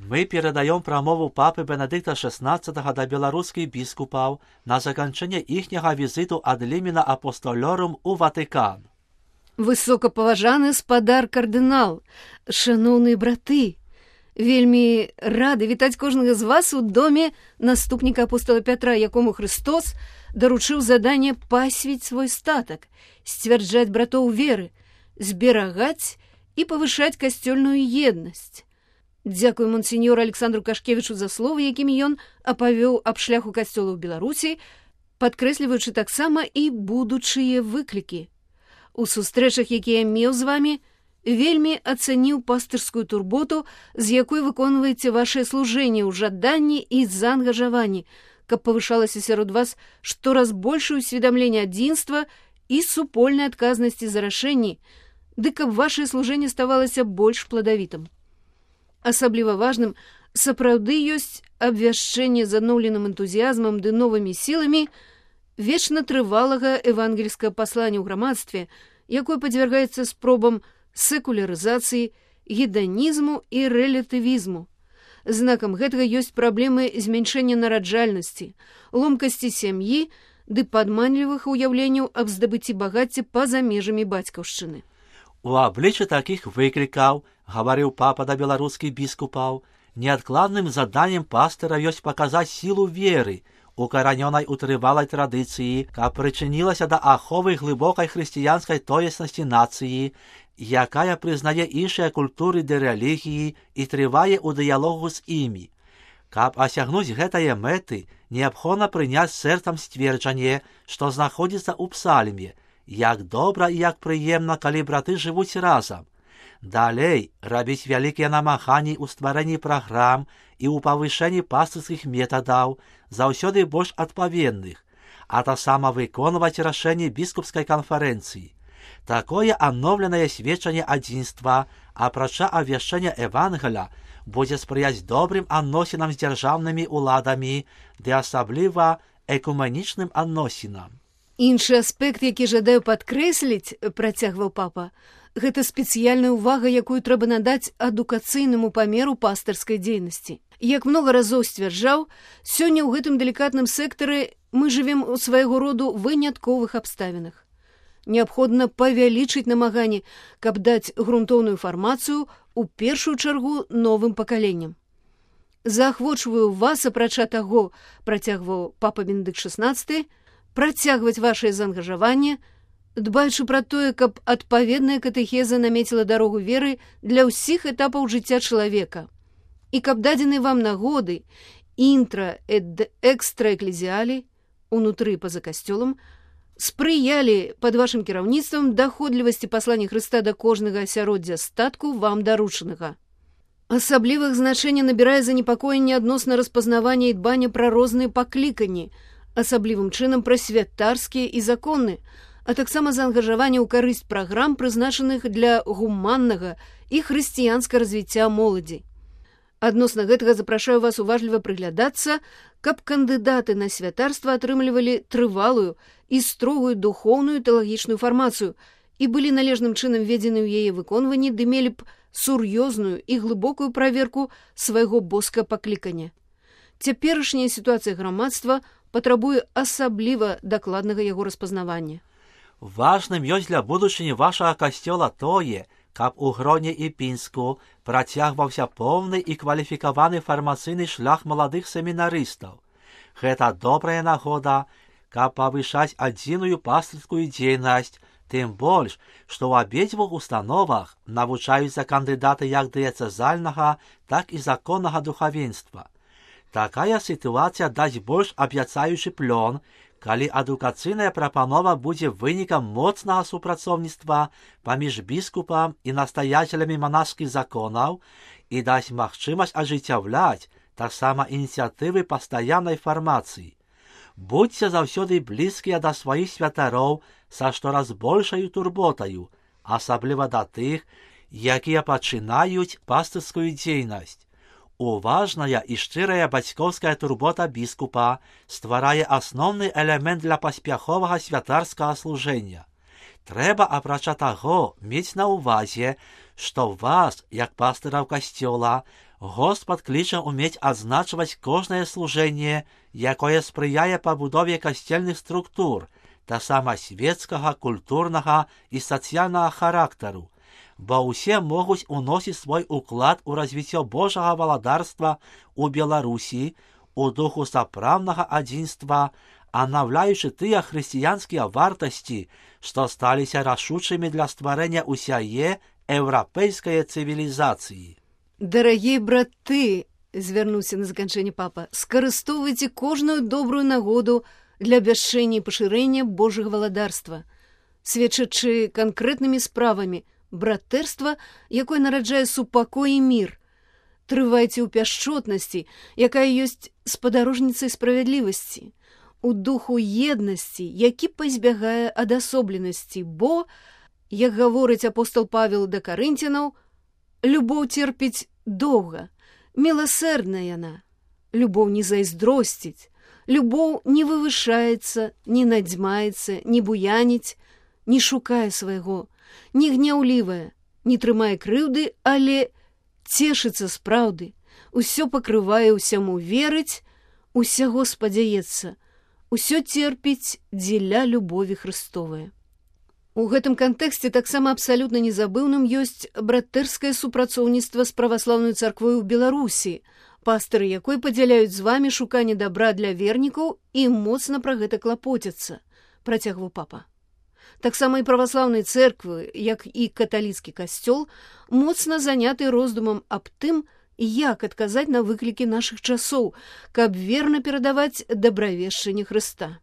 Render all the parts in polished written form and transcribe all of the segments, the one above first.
Мы перадаем прамову папы Бенедыкта XVI да беларускіх біскупаў на заканчэнне іхняга візіту ад лімена апостолёрум у Ватыкан. Высокапаважаны спадар кардынал, шаноўныя браты, вельмі рады вітаць кожнага з вас у доме наступніка апостола Пятра, якому Христос даручыў заданне пасвіць свой статак, сцвярджаць братоў веры, зберагаць і павышаць касцёльную еднасць. Дзякуй монсеньору Александру Кашкевічу за словы, якімі ён апавёў аб шляху касцёла ў Беларусі, падкрэсліваючы таксама і будучыя выклікі. У сустрэчах, якія меў з вамі, вельмі ацаніў пастырскую турботу, з якой выконваеце вашае служэнне ў жаданні і заангажаванні, каб павышалася сярод вас штораз большае усведамленне адзінства і супольнай адказнасці за рашэнні, ды каб вашае служэнне ставалася больш пладавітым. Асабліва важным сапраўды ёсць абвяшчэнне з адноўленым энтузіязмам ды новымі сіламі вечна трывалага евангельскага паслання ў грамадстве, якое падвяргаецца спробам секулярызацыі, геданізму і рэлятывізму. Знакам гэтага ёсць праблемы змяншэння нараджальнасці, ломкасці сям'і ды падманлівых уяўленняў аб здабыцці багацця па-за межамі бацькаўшчыны. У абліччы такіх выклікаў, гаварыў папа да беларускіх біскупаў, неадкладным заданнем пастыра ёсць паказаць сілу веры, укаранёнай у трывалай традыцыі, каб прычынілася да аховы глыбокай хрысціянскай тоеснасці нацыі, якая прызнае іншыя культуры ды рэлігіі і трывае ў дыялогу з імі. Каб асягнуць гэтае мэты, неабходна прыняць сэрцам сцверджанне, што знаходзіцца ў псальме, як добра і як прыемна, калі браты жывуць разам. Далей рабіць вялікія намаганні ў стварэнні праграм і ў павышэнні пастырскіх метадаў, заўсёды больш адпаведных, а таксама выконваць рашэнні біскупскай канферэнцыі. Такое адноўленае сведчанне адзінства, апрача абвяшчэння Евангеля, будзе спрыяць добрым адносінам з дзяржаўнымі ўладамі ды асабліва экуменічным адносінам. Іншы аспект, які жадаю падкрэсліць, працягваў папа, гэта спецыяльная ўвага, якую трэба надаць адукацыйнаму памеру пастырскай дзейнасці. Як многа разоў сцвярджаў, сёння ў гэтым далікатным сектары мы жывем у свайго роду вынятковых абставінах. Неабходна павялічыць намаганні, каб даць грунтоўную фармацыю у першую чаргу новым пакаленням. Заахвочваю вас, апрача таго, працягваў папа Бенедыкт XVI, працягваць вашае заангажаванне, дбаючы пра тое, каб адпаведная катэхеза намеціла дарогу веры для ўсіх этапаў жыцця чалавека, і каб дадзены вам нагоды інтра эд экстра эклезіалі, унутры па-за касцёлам, спрыялі пад вашым кіраўніцтвам даходлівасці паслання Хрыста да кожнага асяроддзя статку вам даручанага. Асаблівых значэння набірае занепакоенне адносна распазнавання і дбання пра розныя пакліканні, асаблівым чынам пра святарскія і законны, а таксама заангажаванне ў карысць праграм, прызначаных для гуманнага і хрысціянскага развіцця моладзі. Адносна гэтага запрашаю вас уважліва прыглядацца, каб кандыдаты на святарства атрымлівалі трывалую і строгую духоўную тэалагічную фармацыю і былі належным чынам введзены ў яе выконванні, ды мелі б сур'ёзную і глыбокую праверку свайго боска паклікання. Цяперашняя сітуацыя грамадства патрабуе асабліва дакладнага яго распазнавання. Важным ёсць для будучыні вашага касцёла тое, каб у Гроне і Пінску працягваўся поўны і кваліфікаваны фармацыйны шлях маладых семінарыстаў. Гэта добрая нагода, каб павышаць адзіную пастырскую дзейнасць, тым больш, што ў абедзвюх установах навучаюцца кандыдаты як дыяцэзальнага, так і законнага духавенства. Такая сітуацыя дасць больш абяцаючы плён, калі адукацыйная прапанова будзе вынікам моцнага супрацоўніцтва паміж біскупам і настаяцелямі манаскіх законаў і дасць магчымасць ажыццяўляць таксама ініцыятывы пастаяннай фармацыі. Будзьце заўсёды блізкія да сваіх святароў са штораз большаю турботаю, асабліва да тых, якія пачынаюць пастырскую дзейнасць. Уважная і шчырая бацькоўская турбота біскупа стварае асноўны элемент для паспяховага святарскага служэння. Трэба, апрача таго, мець на ўвазе, што вас, як пастыраў касцёла, Господь кліче уметь адзначваць кожнае служэнне, якое спрыяе пабудове касцельных структур, таксама свецкага, культурнага і сацыяльнага характару, бо ўсе могуць уносіць свой уклад у развіццё Божага валадарства ў Беларусі, у духу сапраўднага адзінства, анаўляючы тыя хрысціянскія вартасці, што сталіся рашучымі для стварэння ўсяе еўрапейскай цывілізацыі. Дарагія браты, звярнуўся на заканчэнне папа, скарыстоўвайце кожную добрую нагоду для абвяшчэння і пашырэння Божага валадарства, сведчачы канкрэтнымі справамі братэрства, якое нараджае супакой і мір. Трывайце ў пяшчотнасці, якая ёсць спадарожніцай справядлівасці, у духу еднасці, які пазбягае адасобленасці, бо, як гаворыць апостол Павел да карынцянаў, любоў церпіць доўга, міласэрдная яна, любоў не зайздросціць, любоў не вывышаецца, не надзьмаецца, не буяніць, не шукае свайго, не гняўлівая, не трымае крыўды, але цешыцца з праўды, усё пакрывае, усяму верыць, усяго спадзяецца, усё церпіць дзеля любові Христовай. У гэтым кантэксце таксама абсалютна незабыўным ёсць братэрскае супрацоўніцтва з праваслаўнай царквой у Беларусі, пастыры якой падзяляюць з вамі шуканне дабра для вернікаў і моцна пра гэта клапоцяцца, працягваў папа. Таксама і праваслаўнай цэрквы, як і каталіцкі касцёл, моцна заняты роздумам аб тым, як адказаць на выклікі нашых часоў, каб верна перадаваць дабравешчанне Хрыста.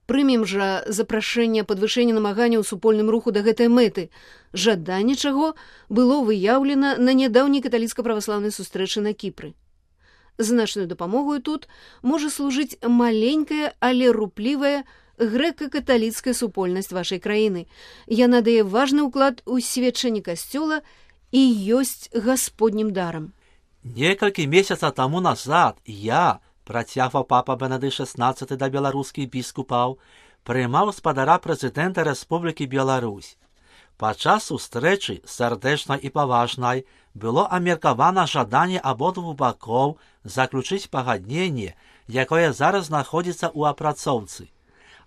Прымем жа запрашэнне падвышэння намаганняў у супольным руху да гэтай мэты, жаданне чаго было выяўлена на нядаўняй каталіцка-праваслаўнай сустрэчы на Кіпры. Значную дапамогою тут можа служыць маленькая, але руплівая грэка-каталіцкая супольнасць вашай краіны. Яна дае важны ўклад у сведчанне касцёла і ёсць гасподнім дарам. Некалькі месяцаў таму назад я, працягваў папа Бенедыкт XVI да беларускіх біскупаў, прымаў спадара прэзідэнта Рэспублікі Беларусь. Падчас сустрэчы, сардэчнай і паважнай, было абмеркавана жаданне абодвух бакоў заключыць пагадненне, якое зараз знаходзіцца ў апрацоўцы.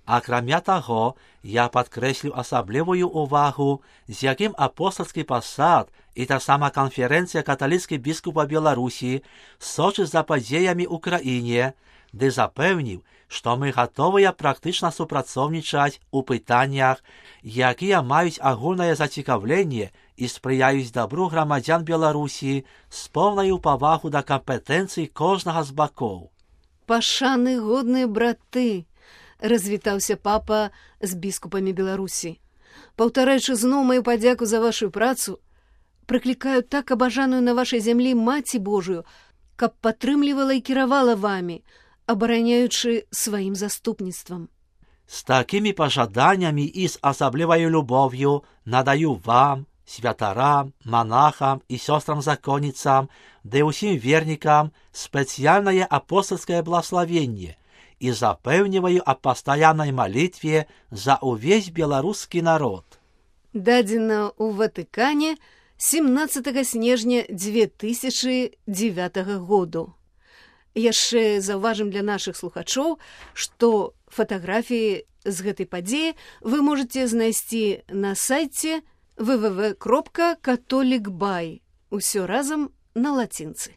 Акрамя таго, я падкрэсліў асаблівую ўвагу, з якім апостальскі пасад і таксама канферэнцыя каталіцкіх біскупаў Беларусі сочыць за падзеямі ў краіне, ды запэўніў, што мы гатовыя практычна супрацоўнічаць у пытаннях, якія маюць агульнае зацікаўленне і спрыяюць дабру грамадзян Беларусі з поўнаю павагу да кампетэнцый кожнага з бакоў. Пашаны годныя браты, развітаўся папа з біскупамі Беларусі. Паўтараючы зноў маю падзяку за вашу працу, прыклікаю так абажаную на вашай зямлі Маці Божую, каб падтрымлівала і кіравала вамі, абараняючы сваім заступніцтвам. З такімі пажаданнямі і з асабліваю любов'ю надаю вам, святарам, монахам і сёстрам-законніцам, ды ўсім вернікам спецыяльнае апостальскае благословенне, і запэўніваю аб пастаяннай малітве за ўвесь беларускі народ. Дадзена ў Ватыкане 17 снежня 2009 году. Яшчэ заўважым для нашых слухачоў, што фатаграфіі з гэтай падзеі вы можаце знайсці на сайце www.katolikbay. Усё разам на лацінцы.